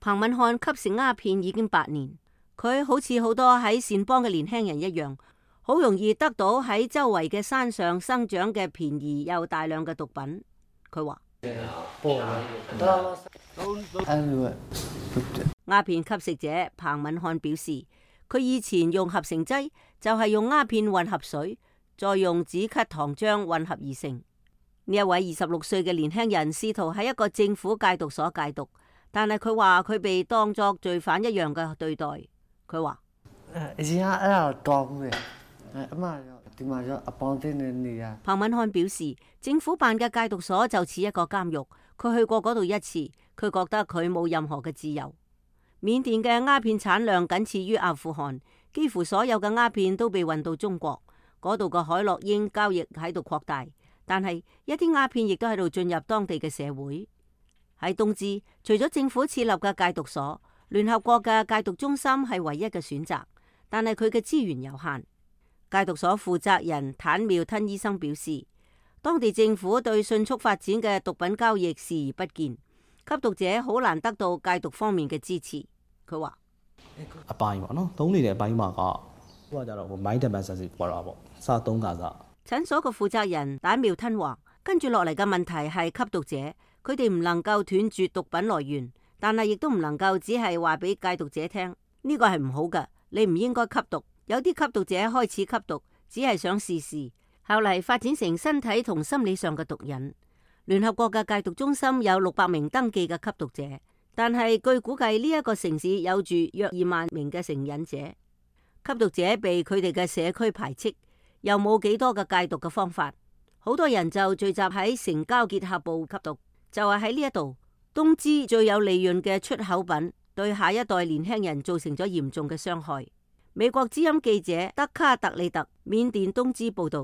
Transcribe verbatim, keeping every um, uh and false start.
彭敏漢吸食鴉片已經八年，佢好似好多喺善邦嘅年輕人一樣，好容易得到喺周圍嘅山上生長嘅便宜又大量嘅毒品。佢話鴉片吸食者彭敏漢表示，佢以前用合成劑就係用鴉片混合水，再用止咳糖漿混合而成。呢一位二十六歲嘅年輕人試圖喺一個政府戒毒所戒毒，但係佢話佢被當作罪犯一樣嘅對待。佢話彭敏漢表示，政府辦嘅戒毒所就似一個監獄，佢去過嗰度一次，佢覺得佢冇任何嘅自由。緬甸嘅鴉片產量僅次於阿富汗，幾乎所有嘅鴉片都被運到中國，嗰度嘅海洛因交易喺度擴大。但係一啲鴉片亦都喺度進入當地嘅社會。喺東芝，除咗政府設立嘅戒毒所，聯合國嘅戒毒中心係唯一嘅選擇，但係佢嘅資源有限。戒毒所負責人坦妙吞醫生表示，當地政府對迅速發展嘅毒品交易視而不見，吸毒者好難得到戒毒方面嘅支持。佢話診所嘅負責人坦妙吞話，跟住落嚟嘅問題係吸毒者，佢哋唔能夠斷絕毒品來源，但係亦都唔能夠只係話俾戒毒者聽呢個係唔好嘅，你唔應該吸毒。有啲吸毒者開始吸毒，只係想試試，後嚟發展成身體同心理上嘅毒癮。聯合國嘅戒毒中心有六百名登記嘅吸毒者，但係據估計呢一個城市有住約二萬名嘅成癮者。吸毒者被佢哋嘅社區排斥，又冇幾多嘅戒毒嘅方法，好多人就聚集喺城郊結合部吸毒。就係喺呢一度，東芝最有利潤嘅出口品，對下一代年輕人造成咗嚴重嘅傷害。美國之音記者德卡特利特，緬甸東芝報道。